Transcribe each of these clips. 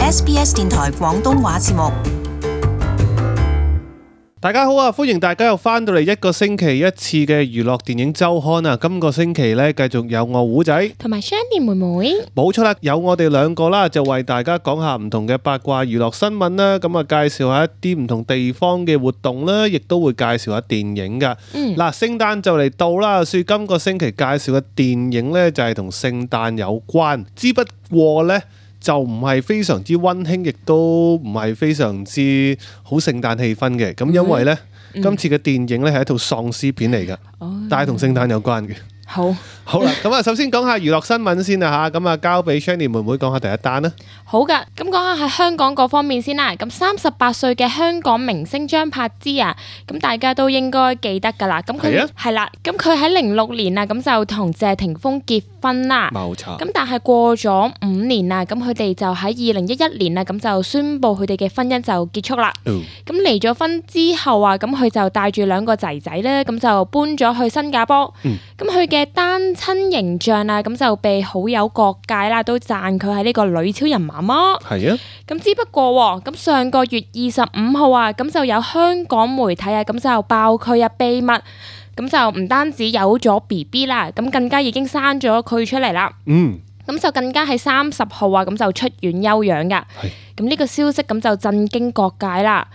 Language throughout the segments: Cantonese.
SBS 電台廣東話節目。大家好啊！歡迎大家又翻到嚟一個星期一次嘅娛樂電影週刊啊！今個星期呢，繼續有我胡仔同埋 Shandy 妹妹，冇錯啦，有我哋兩個啦，就為大家講下唔同嘅八卦娛樂新聞啦。咁啊，介紹下一啲唔同地方嘅活動啦，亦都會介紹下電影噶。嗱，聖誕就嚟到啦，所以今個星期介紹嘅電影呢，就係同聖誕有關，之不過呢，就唔係非常之溫馨，亦都唔係非常之好聖誕氣氛嘅。咁因為呢，今次嘅電影呢係一套喪屍片嚟㗎，但係同聖誕有關嘅。好啦，咁啊，首先講下娛樂新聞先啦嚇，咁啊交俾 Shandy 妹妹講下第一單啦。好噶，咁講下喺香港嗰方面先啦。咁38歲嘅香港明星張柏芝啊，咁大家都應該記得噶啦。咁佢係啦，咁佢喺06年啊，咁就同謝霆鋒結婚啦。冇錯。咁但係過咗5年啦，咁佢哋就喺2011年啊，咁就宣布佢哋嘅婚姻就結束啦。咁離咗婚之後啊，咁佢就帶住2個仔仔咧，咁就搬咗去新加坡。咁佢嘅單親形象啊，咁就被好友各界啦都讚佢係呢個女超人媽媽。係啊。咁只不過咁上個月25號啊，咁就有香港媒體啊，咁就爆佢啊秘密，咁就唔單止有咗 BB 啦，咁更加已經生咗佢出嚟啦。咁就更加喺30號啊，咁就出院休養噶。咁呢個消息咁就震驚各界啦。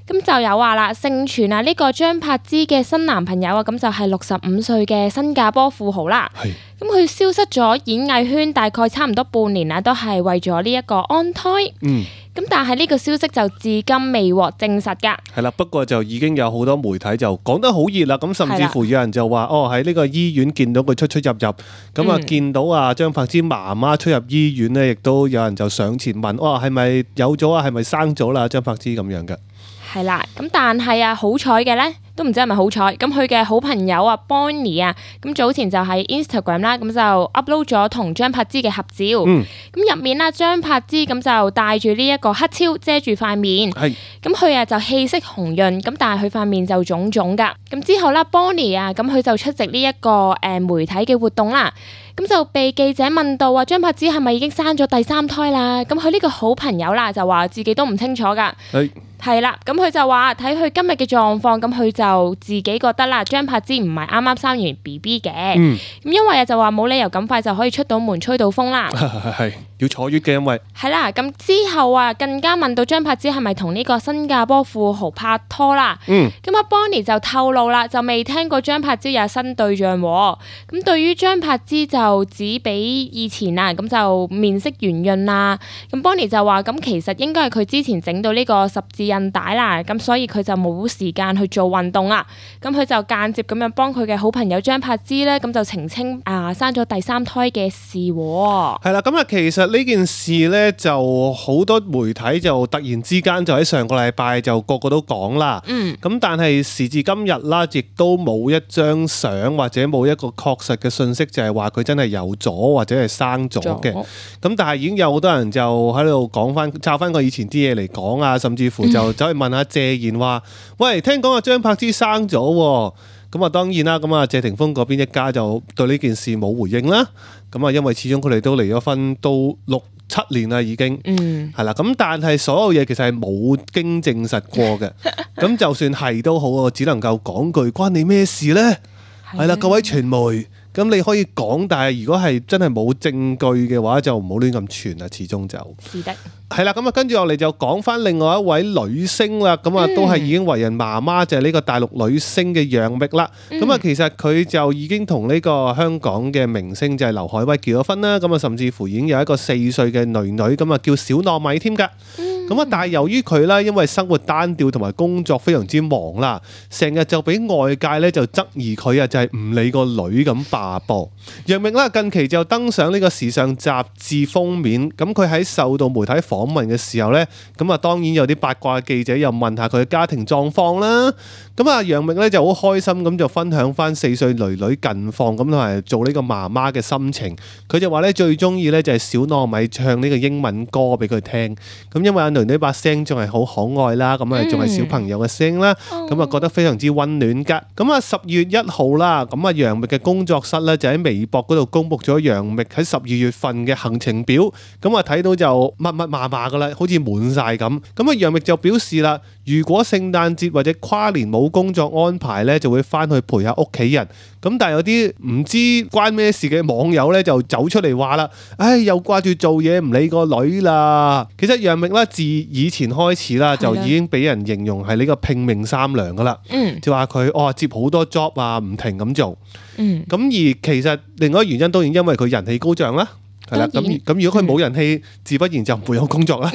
咁就有話啦，盛傳啊呢個張柏芝嘅新男朋友啊，咁就係65歲嘅新加坡富豪啦。咁佢消失咗演藝圈大概差唔多半年啦，都係為咗呢一個安胎。咁但係呢個消息就至今未獲證實㗎。係啦，不過就已經有好多媒體就講得好熱啦。咁甚至乎有人就話喺呢個醫院見到佢出入，咁啊見到啊張柏芝媽媽出入醫院呢，亦都有人就上前問，係咪有咗啊？係咪生咗啦？張柏芝咁樣嘅。係啦，咁但係啊好彩嘅呢，都唔知係咪好彩。咁佢嘅好朋友啊 Bonnie 啊，咁早前就喺 Instagram 啦，咁就 upload 咗同張柏芝嘅合照。咁入面啦，張柏芝咁就戴住呢一個黑超遮住塊面。咁佢啊就氣色紅潤，咁但係佢塊面就腫腫噶。咁之後啦 Bonnie 啊，咁佢就出席呢一個媒體嘅活動啦。咁就被記者問到話張柏芝係咪已經生咗第3胎啦？咁佢呢個好朋友啦就話自己都唔清楚噶。係啦，咁佢就話睇佢今日嘅狀況，咁佢就自己覺得啦，張柏芝唔係啱啱生完 BB 嘅。咁因為就話冇理由咁快就可以出到門吹到風啦。係要坐月嘅，因為係啦。咁之後啊，更加問到張柏芝係咪同呢個新加坡富豪拍拖啦。咁阿 Bonnie 就透露啦，就未聽過張柏芝有新對象喎。咁對於張柏芝就只比以前啊，咁就面色圓潤啦。咁 Bonnie 就話咁其實應該係佢之前整到呢個十字韌帶啦，咁所以佢就冇時間去做運動啦。咁佢就間接咁樣幫佢嘅好朋友張柏芝咧，咁就澄清生咗第3胎嘅事。係啦，咁啊其實呢件事咧就好多媒體就突然之間就喺上個禮拜就個個都講啦。咁但係時至今日啦，亦都冇一張相或者冇一個確實嘅信息，就係話佢真係有咗或者係生咗嘅。咁但係已經有好多人就喺度講翻抄翻個以前啲嘢嚟講啊，甚至乎就走去問下謝賢話：喂，聽講阿張柏芝生咗喎。咁啊當然啦，咁啊謝霆鋒嗰邊一家就對呢件事冇回應啦。咁啊因為始終佢哋都離咗婚都6-7年啦已經。係啦，咁但係所有嘢其實係冇經證實過嘅。咁就算係都好，我只能夠講句關你咩事呢？係啦，各位傳媒。咁你可以講，但係如果係真係冇證據嘅話，就唔好亂咁傳啦。始終就是的。係啦，咁啊跟住落嚟就講翻另外一位女星啦。咁啊都係已經為人媽媽，就係呢個大陸女星嘅楊冪啦。咁啊其實佢就已經同呢個香港嘅明星就係劉愷威結咗婚啦。咁啊甚至乎已經有一個4歲嘅女女，咁啊叫小糯米添㗎。咁啊但係由於佢啦，因為生活單調同埋工作非常之忙啦，成日就俾外界咧就質疑佢啊，就係唔理個女咁罷播。楊冪啦近期就登上呢個時尚雜誌封面。咁佢喺受到媒體訪問嘅時候咧，咁啊當然有啲八卦記者又問下佢嘅家庭狀況啦。咁啊楊冪咧就好開心咁就分享翻4歲女女近況，咁同埋做呢個媽媽嘅心情。佢就話咧最中意咧就係小糯米唱呢個英文歌俾佢聽。咁因為阿女女把聲仲係好可愛啦，咁啊仲係小朋友嘅聲啦，咁啊覺得非常之溫暖噶。咁啊10月1號啦，咁啊楊冪嘅工作室咧就喺微博嗰度公布咗楊冪喺12月份嘅行程表，咁啊睇到就密密麻麻噶啦，好似滿晒咁。咁啊楊冪就表示啦，如果聖誕節或者跨年冇工作安排咧，就會翻去陪下屋企人。咁但係有啲唔知關咩事嘅網友咧就走出嚟話啦，唉，又掛住做嘢唔理個女啦。其實楊冪啦自以前開始啦就已經俾人形容係呢個拼命三娘噶啦，就話佢接好多 job 啊，唔停咁做。咁而其實另外一個原因當然因為佢人氣高漲啦，係啦。咁如果佢冇人氣，自不然就唔會有工作啦。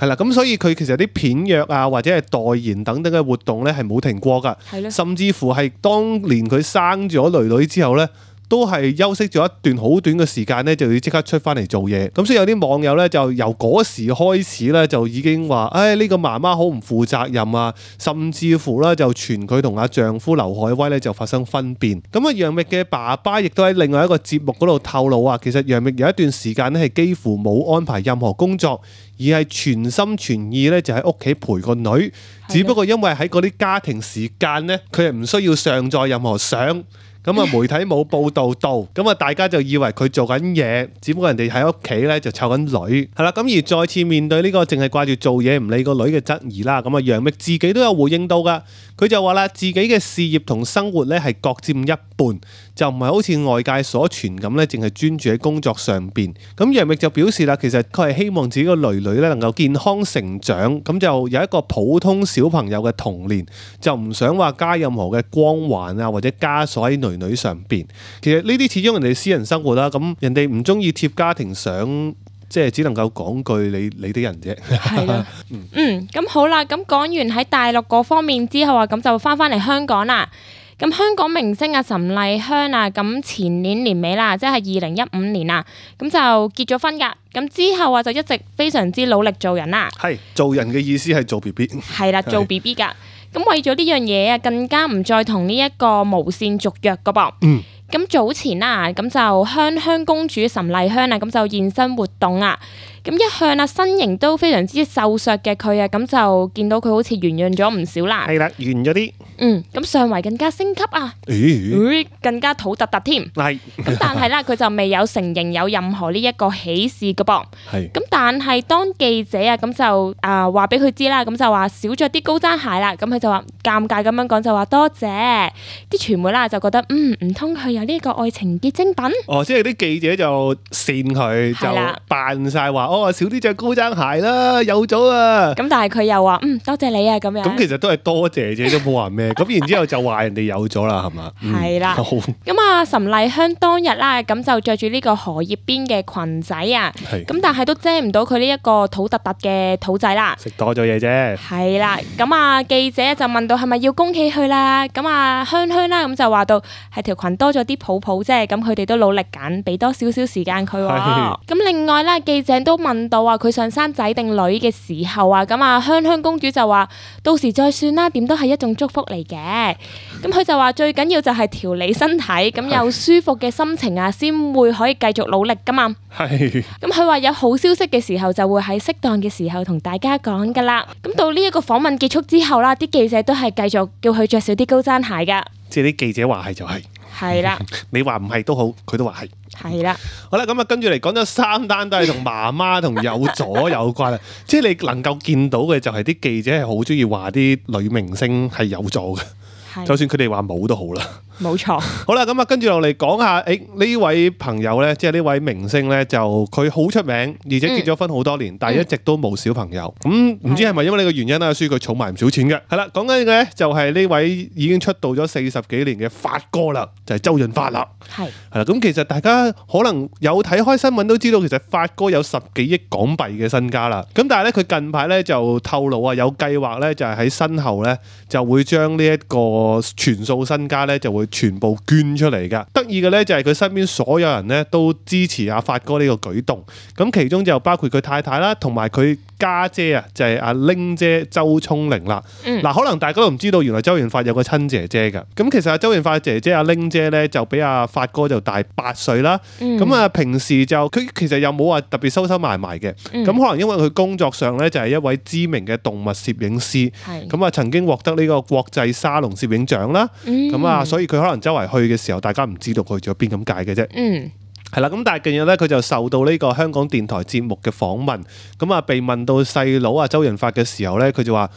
係啦，咁所以佢其實啲片約啊，或者係代言等等嘅活動咧，係冇停過噶。甚至乎係當年佢生咗女女之後咧，都係休息咗一段好短嘅時間咧，就要即刻出翻嚟做嘢。咁所以有啲網友咧就由嗰時開始咧，就已經話：唉，呢個媽媽好唔負責任啊！甚至乎咧就傳佢同阿丈夫劉愷威咧就發生分辨。咁啊，楊冪嘅爸爸亦都喺另外一個節目嗰度透露啊，其實楊冪有一段時間咧係幾乎冇安排任何工作，而係全心全意咧就喺屋企陪個女。只不過因為喺嗰啲家庭時間咧，佢係唔需要上載任何相。咁啊，媒體冇報導到，咁啊，大家就以為佢做緊嘢，只不過人哋喺屋企咧就湊緊女，係啦。咁而再次面對呢個淨係掛住做嘢唔理個女嘅質疑啦，咁啊，楊冪自己都有回應到噶，佢就話啦，自己嘅事業同生活咧係各佔一半，就唔係好似外界所傳咁咧，淨係專注喺工作上邊。咁楊冪就表示啦，其實佢係希望自己個女女咧能夠健康成長，咁就有一個普通小朋友嘅童年，就唔想話加任何嘅光環啊或者枷鎖喺女上邊。其實呢啲始終人哋私人生活啦，咁人哋唔中意貼家庭相，即係只能夠講句你啲人啫。係啦，咁好啦，咁講完喺大陸嗰方面之後啊，咁就翻嚟香港啦。咁香港明星啊岑麗香啊，咁前年年尾啦，即係2015年啊，咁就結咗婚噶。咁之後啊，就一直非常之努力做人啦。係做人嘅意思係做 BB。係啦，做 BB 噶。咁為咗呢樣嘢啊，更加唔再同呢一個無線續約噶噃。咁早前啦，咁就香公主岑麗香啊，咁就現身活動啊。咁一向啊身形都非常之瘦削嘅佢啊，咁就見到佢好似圓潤咗唔少啦。係啦，圓咗啲。咁上圍更加升級啊，更加肚突突添。係。咁但係啦，佢就未有承認有任何呢一個喜事噶噃。係。咁但係當記者啊，咁就話俾佢知啦，咁就話少咗啲高踭鞋啦。咁佢就話尷尬咁樣講，就話多謝。啲傳媒啦就覺得唔通佢有呢個愛情結晶品？即係啲記者就扇佢，就扮晒話。少啲着高踭鞋啦，有咗啊！咁但係佢又話多謝你啊，咁樣。咁其實都係多謝啫，都冇話咩。咁然之後就話人哋有咗啦，係嘛？係啦。咁啊，岑麗香當日啦，咁就着住呢個荷葉邊嘅裙仔啊。咁但係都遮唔到佢呢一個肚突突嘅肚仔啦。食多咗嘢啫。係啦。咁啊，記者就問到係咪要恭喜佢啦？咁啊，香啦，咁就話到係條裙多咗啲泡泡啫。咁佢哋都努力緊，俾多少少時間佢。咁另外啦，記者都問到啊，佢想生仔定女嘅時候啊，咁啊香公主就話到時再算啦，點都係一種祝福嚟嘅。咁佢就話最緊要就係調理身體，咁有舒服嘅心情啊，先會可以繼續努力噶嘛。係。咁佢話有好消息嘅時候就會喺適當嘅時候同大家講噶啦。咁到呢一個訪問結束之後啦，啲記者都係繼續叫佢着少啲高踭鞋噶。即係啲記者話係就係。係啦。你話唔係都好，佢都話係。係啦，好啦，咁啊，跟住嚟講咗3單都係同媽媽同有咗有關啦，即係你能夠見到嘅就係啲記者係好中意話啲女明星係有咗嘅，就算佢哋話冇都好啦。冇錯。好啦，咁啊，跟住落嚟講下，呢位朋友咧，即係呢位明星咧，就佢好出名，而且結咗婚好多年，但係一直都冇小朋友。咁唔知係咪因為呢個原因啦，所以佢儲埋唔少錢嘅。係啦，講緊嘅咧就係呢位已經出道咗40幾年嘅發哥啦，就係周潤發啦。係啦，咁其實大家可能有睇開新聞都知道，其實發哥有10幾億港幣嘅身家啦。咁但係咧，佢近排咧就透露啊，有計劃咧就係喺身後咧就會將呢一個全數身家咧就會全部捐出嚟噶。得意嘅咧就係佢身邊所有人咧都支持阿發哥呢個舉動。咁其中就包括佢太太啦，同埋佢家姐啊，就係阿玲姐周聰玲啦。嗱，可能大家都唔知道，原來周潤發有個親姐姐㗎。咁其實阿周潤發姐姐阿玲姐咧，就比阿發哥就大8歲啦。咁啊，平時就佢其實又冇話特別收收埋埋嘅。咁可能因為佢工作上咧就係一位知名嘅動物攝影師。咁啊，曾經獲得呢個國際沙龍攝影獎啦。咁啊，所以佢可能周圍去嘅時候，大家唔知道佢去咗邊咁解嘅啫。係啦，咁但係近日咧，佢就受到呢個香港電台節目嘅訪問，咁啊被問到細佬啊周潤發嘅時候咧，佢就話：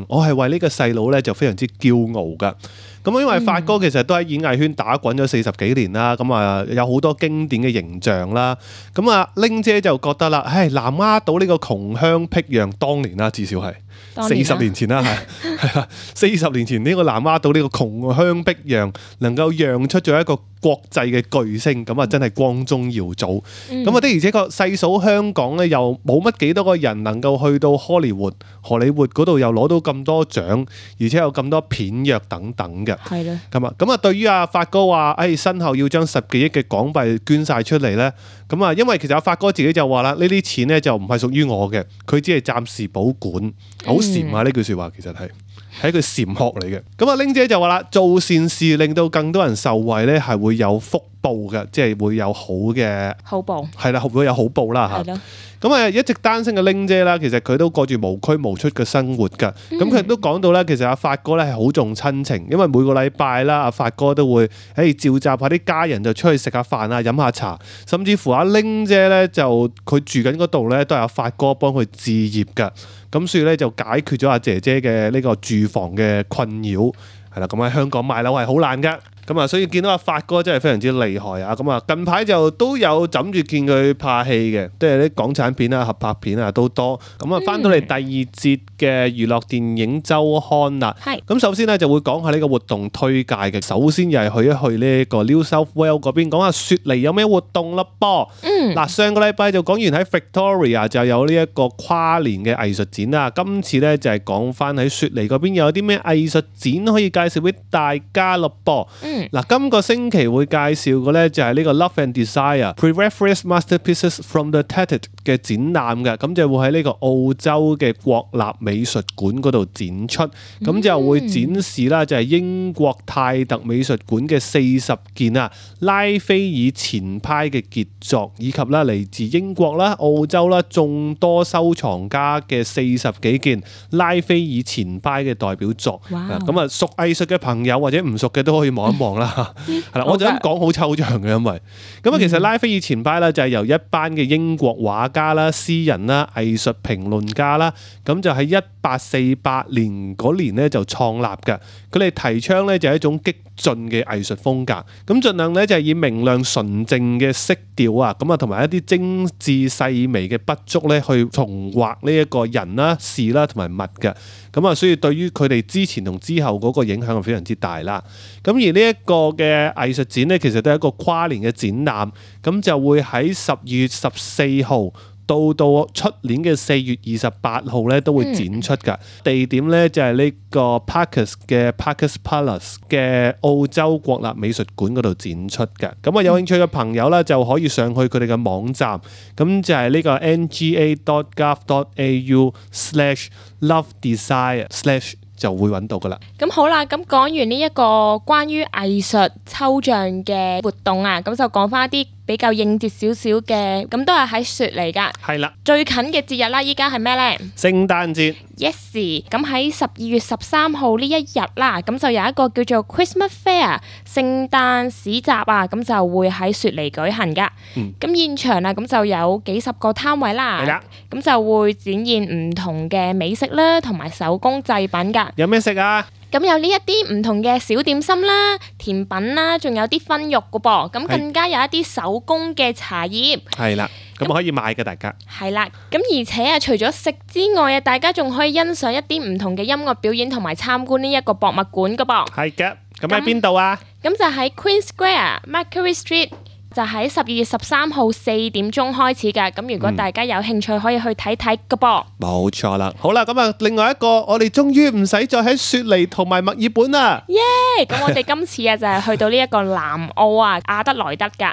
我係為呢個細佬咧就非常之驕傲噶。咁因為發哥其實都喺演藝圈打滾咗40幾年啦，咁啊有好多經典嘅形象啦。咁啊玲姐就覺得啦，南丫島呢個窮鄉僻壤，當年啦至少係40年前啦，係啦，40年前呢個南丫島呢個窮鄉僻壤能夠釀出咗一個國際嘅巨星，咁啊真係光宗耀祖。咁啊的而且確細數香港咧，又冇乜幾多個人能夠去到荷里活嗰度又攞到咁多獎，而且有咁多片約等等嘅。係咯。咁啊對於阿發哥話，身後要將10幾億嘅港幣捐晒出嚟咧，咁啊因為其實阿發哥自己就話啦，呢啲錢咧就唔係屬於我嘅，佢只係暫時保管。好禪啊！呢句説話其實係一句禪學嚟嘅。咁啊玲姐就話啦，做善事令到更多人受惠咧，係會有福報嘅，即係會有好嘅好報。係啦，會有好報啦嚇。咁啊一直單身嘅玲姐啦，其實佢都過住無拘無束嘅生活㗎。咁佢都講到咧，其實阿發哥咧係好重親情，因為每個禮拜啦，阿發哥都會召集下啲家人就出去食下飯啊、飲下茶，甚至乎阿玲姐咧就佢住緊嗰度咧都係阿發哥幫佢置業㗎。咁所以咧就解決咗阿姐姐嘅呢個住房嘅困擾。係啦，咁喺香港買樓係好難㗎。咁啊，所以見到阿發哥真係非常之厲害啊！咁啊，近排就都有枕住見佢拍戲嘅，即係啲港產片啊、合拍片啊都多。咁啊，翻到嚟第2節嘅娛樂電影週刊啦。咁首先咧就會講下呢個活動推介嘅。首先又係去一去呢個 New South Wales 嗰邊，講下雪梨有咩活動啦噃。嗱，上個禮拜就講完喺 Victoria 就有呢一個跨年嘅藝術展啦。今次咧就係講翻喺雪梨嗰邊有啲咩藝術展可以介紹俾大家咯噃。嗱，今個星期會介紹嘅咧就係呢個 Love and Desire Pre-Reference Masterpieces from the Tate 嘅展覽嘅，咁就會喺呢個澳洲嘅國立美術館嗰度展出，咁就會展示啦，就係英國泰特美術館嘅40件啊拉斐爾前派嘅傑作，以及啦嚟自英國啦、澳洲啦眾多收藏家嘅40幾件拉斐爾前派嘅代表作。咁啊，熟藝術嘅朋友或者唔熟嘅都可以望一望啦。係啦，我就咁講好抽象嘅，因為咁啊，其實拉斐爾前派咧就係由一班嘅英國畫家啦、詩人啦、藝術評論家啦，咁就喺1848年嗰年咧就創立嘅。佢哋提倡咧就係一種激進嘅藝術風格，咁盡量咧就係以明亮純正嘅色調啊，咁啊同埋一啲精緻細微嘅筆觸咧去重畫呢一個人啦、事啦同埋物嘅。咁啊，所以對於佢哋之前同之後嗰個影響係非常之大啦。咁而呢一個嘅藝術展咧，其實都係一個跨年嘅展覽，咁就會喺12月14號到出年嘅4月28號咧都會展出㗎。地點咧就係呢個 Parkes 嘅 Parkes Palace 嘅澳洲國立美術館嗰度展出嘅。咁啊，有興趣嘅朋友咧就可以上去佢哋嘅網站，咁就係呢個 nga.gov.au/lovedesire/ 就會揾到噶啦。咁好啦，咁講完呢一個關於藝術抽象嘅活動啊，咁就講翻一啲比較應節少少嘅，咁都係喺雪梨噶。係啦，最近嘅節日啦，依家係咩呢？聖誕節。Yes， 咁喺12月13號呢一日啦，咁就有一個叫做 Christmas Fair 聖誕市集啊，咁就會喺雪梨舉行噶。咁現場啊，咁就有幾十個攤位啦。係啦，咁就會展現唔同嘅美食啦，同埋手工製品噶。有咩食啊？咁有呢一啲唔同嘅小點心啦、甜品啦，仲有啲燻肉噶噃，咁更加有一啲手工嘅茶葉。係啦，咁可以買嘅大家。係啦，咁而且啊，除咗食之外啊，大家仲可以欣賞一啲唔同嘅音樂表演同埋參觀呢一個博物館噶噃。係嘅，咁喺邊度啊？咁就喺 Queen Square、Macquarie Street。就喺12月13號4點鐘開始㗎，咁如果大家有興趣可以去睇睇㗎噃。冇錯啦，好啦，咁啊，另外一個我哋終於唔使再喺雪梨同埋墨爾本啦。耶！咁我哋今次啊就係去到呢一個南澳啊亞德萊德㗎。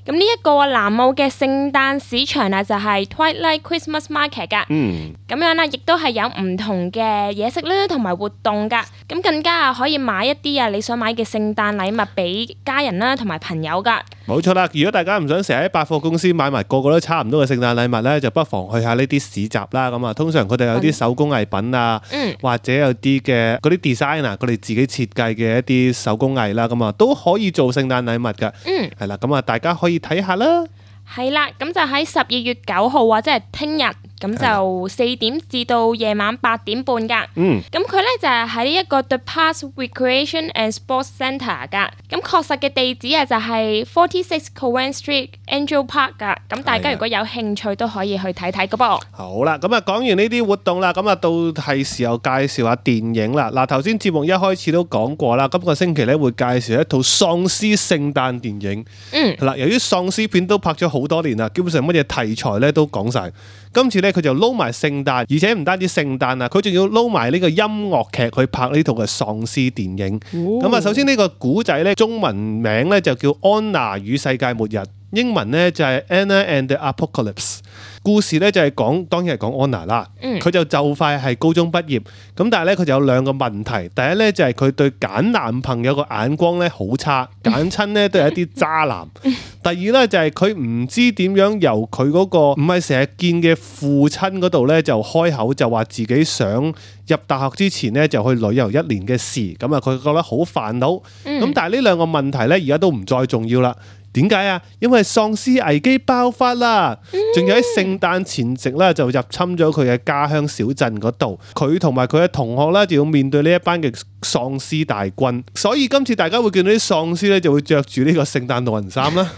咁呢一個南澳嘅聖誕市場啊，就係 Twilight Christmas Market 噶。咁樣啦，亦都係有唔同嘅嘢食啦，同埋活動噶。咁更加可以買一啲你想買嘅聖誕禮物俾家人啦，同埋朋友噶。冇錯啦，如果大家唔想成日喺百貨公司買埋個個都差唔多嘅聖誕禮物呢，就不妨去下呢啲市集啦。咁啊，通常佢哋有啲手工藝品啊，或者有啲嘅嗰啲 design 啊，佢哋自己設計嘅一啲手工藝啦，咁啊都可以做聖誕禮物噶。係啦，咁啊大家可以睇下啦。係啦，咁就喺12月9號或者係聽日，咁就4點至到夜晚8點半噶。咁佢咧就係喺呢一個 The Parks Recreation and Sports Centre 噶。咁確實嘅地址啊就係46 Cowan Street Angel Park 噶。咁大家如果有興趣都可以去睇睇噶噃。好啦，咁啊講完呢啲活動啦，咁啊到係時候介紹下電影啦。嗱，頭先節目一開始都講過啦，今個星期咧會介紹一套喪屍聖誕電影。係啦，由於喪屍片都拍咗好多年啦，基本上乜嘢題材咧都講晒。今次咧佢就撈埋聖誕，而且唔單止聖誕啊，佢仲要撈埋呢個音樂劇去拍呢套嘅喪屍電影。咁啊，首先呢個古仔咧中文名咧就叫《安娜與世界末日》，英文咧就係 Anna and the Apocalypse。故事咧就係講，當然係講安娜啦。佢就快係高中畢業，咁但係咧佢就有兩個問題。第一咧就係佢對揀男朋友個眼光咧好差，揀親咧都係一啲渣男。第二咧就係佢唔知點樣由佢嗰個唔係成日見嘅父親嗰度咧就開口就話自己想入大學之前咧就去旅遊1年嘅事。咁啊佢覺得好煩惱。咁但係呢兩個問題咧而家都唔再重要啦。點解啊？因為喪屍危機爆發啦，仲有喺聖誕前夕咧就入侵咗佢嘅家鄉小鎮嗰度，佢同埋佢嘅同學咧就要面對呢一班嘅喪屍大軍，所以今次大家會見到啲喪屍咧就會着住呢個聖誕老人衫啦，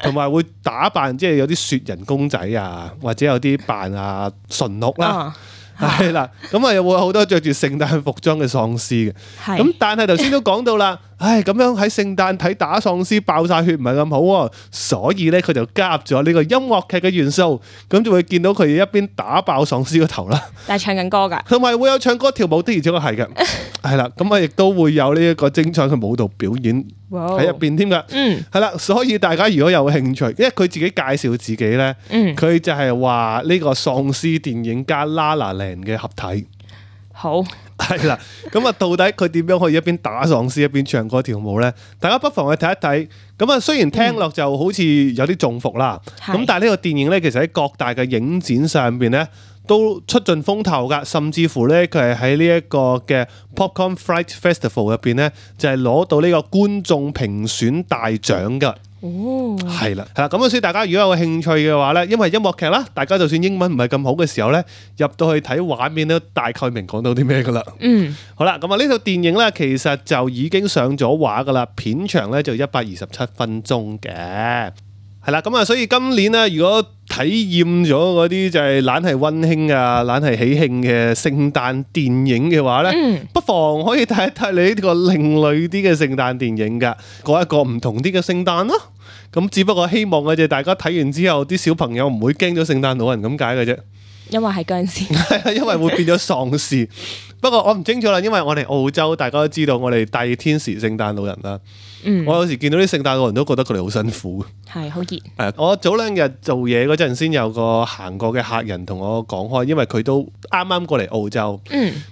同埋會打扮即係有啲雪人公仔啊，或者有啲扮馴鹿啦。係啦，咁啊又會有好多着住聖誕服裝嘅喪屍嘅，咁但係頭先都講到啦，咁樣喺聖誕睇打喪屍爆晒血唔係咁好喎，所以咧佢就加入咗呢個音樂劇嘅元素，咁就會見到佢一邊打爆喪屍個頭啦，但係唱緊歌噶，同埋會有唱歌跳舞的，而且確係嘅，係啦，咁啊亦都會有呢一個精彩嘅舞蹈表演喺入邊添噶，係啦，所以大家如果有興趣，因為佢自己介紹自己咧，佢就係話呢個喪屍電影加 La La Land嘅合體，好係啦，咁啊到底佢點樣可以一邊打喪屍一邊唱歌跳舞咧？大家不妨去睇一睇。咁啊，雖然聽落就好似有啲中伏啦，咁但係呢個電影咧，其實喺各大嘅影展上邊咧都出盡風頭噶，甚至乎咧佢係喺呢一個嘅 Popcorn Fright Festival 入邊咧，就係攞到呢個觀眾評選大獎噶。係啦，咁所以大家如果有興趣嘅話咧，因為音樂劇啦，大家就算英文唔係咁好嘅時候咧，入到去睇畫面都大概明講到啲咩噶啦。好啦，咁啊呢套電影咧其實就已經上咗畫噶啦，片長咧就127分鐘嘅。係啦，咁啊所以今年咧如果體驗咗嗰啲就係懶係溫馨啊、懶係喜慶嘅聖誕電影嘅話咧，不妨可以睇一睇你呢個另類啲嘅聖誕電影噶，過一個唔同啲嘅聖誕咯。咁只不過希望嘅啫，大家睇完之後啲小朋友唔會驚咗聖誕老人咁解嘅啫。因為係僵屍，係因為會變咗喪屍。不過我唔清楚啦，因為我哋澳洲大家都知道我哋大熱天時聖誕老人啦。我有時見到啲聖誕老人都覺得佢哋好辛苦，係好熱。我早2日做嘢嗰陣先有個行過嘅客人同我講開，因為佢都啱啱過嚟澳洲，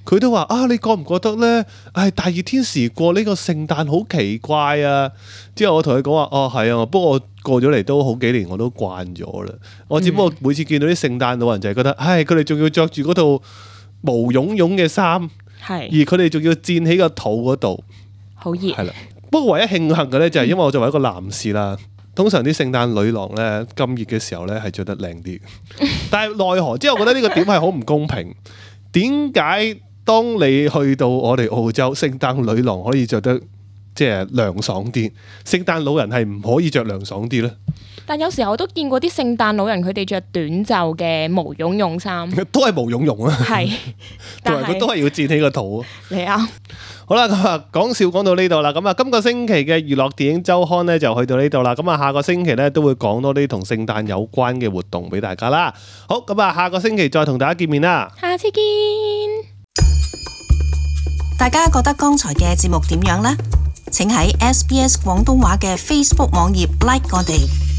佢都話你覺唔覺得咧？大熱天時過呢個聖誕好奇怪啊！之後我同佢講話，係啊，不過我過咗嚟都好幾年，我都慣咗啦。我只不過每次見到啲聖誕老人就係覺得，佢哋仲要着住嗰套毛茸茸嘅衫，而佢哋仲要墊起個肚嗰度，好熱。係啦。不過唯一慶幸嘅咧就係因為我作為一個男士啦，通常啲聖誕女郎咧咁熱嘅時候咧係着得靚啲，但係奈何，即係我覺得呢個點係好唔公平。點解當你去到我哋澳洲，聖誕女郎可以着得即係涼爽啲，聖誕老人係唔可以着涼爽啲咧？但有時候我都見過啲聖誕老人佢哋着短袖嘅毛茸茸衫，都係毛茸茸啊，係，但係佢都係要墊起個肚。你啱。好啦，咁啊講笑講到呢度啦，咁啊今個星期嘅娛樂電影週刊咧就去到呢度啦，咁啊下個星期咧都會講多啲同聖誕有關嘅活動俾大家啦。好，咁啊下個星期再同大家見面啦，下次見。大家覺得剛才嘅節目點樣呢？請喺SBS 廣東話嘅 Facebook 網頁 like 我哋。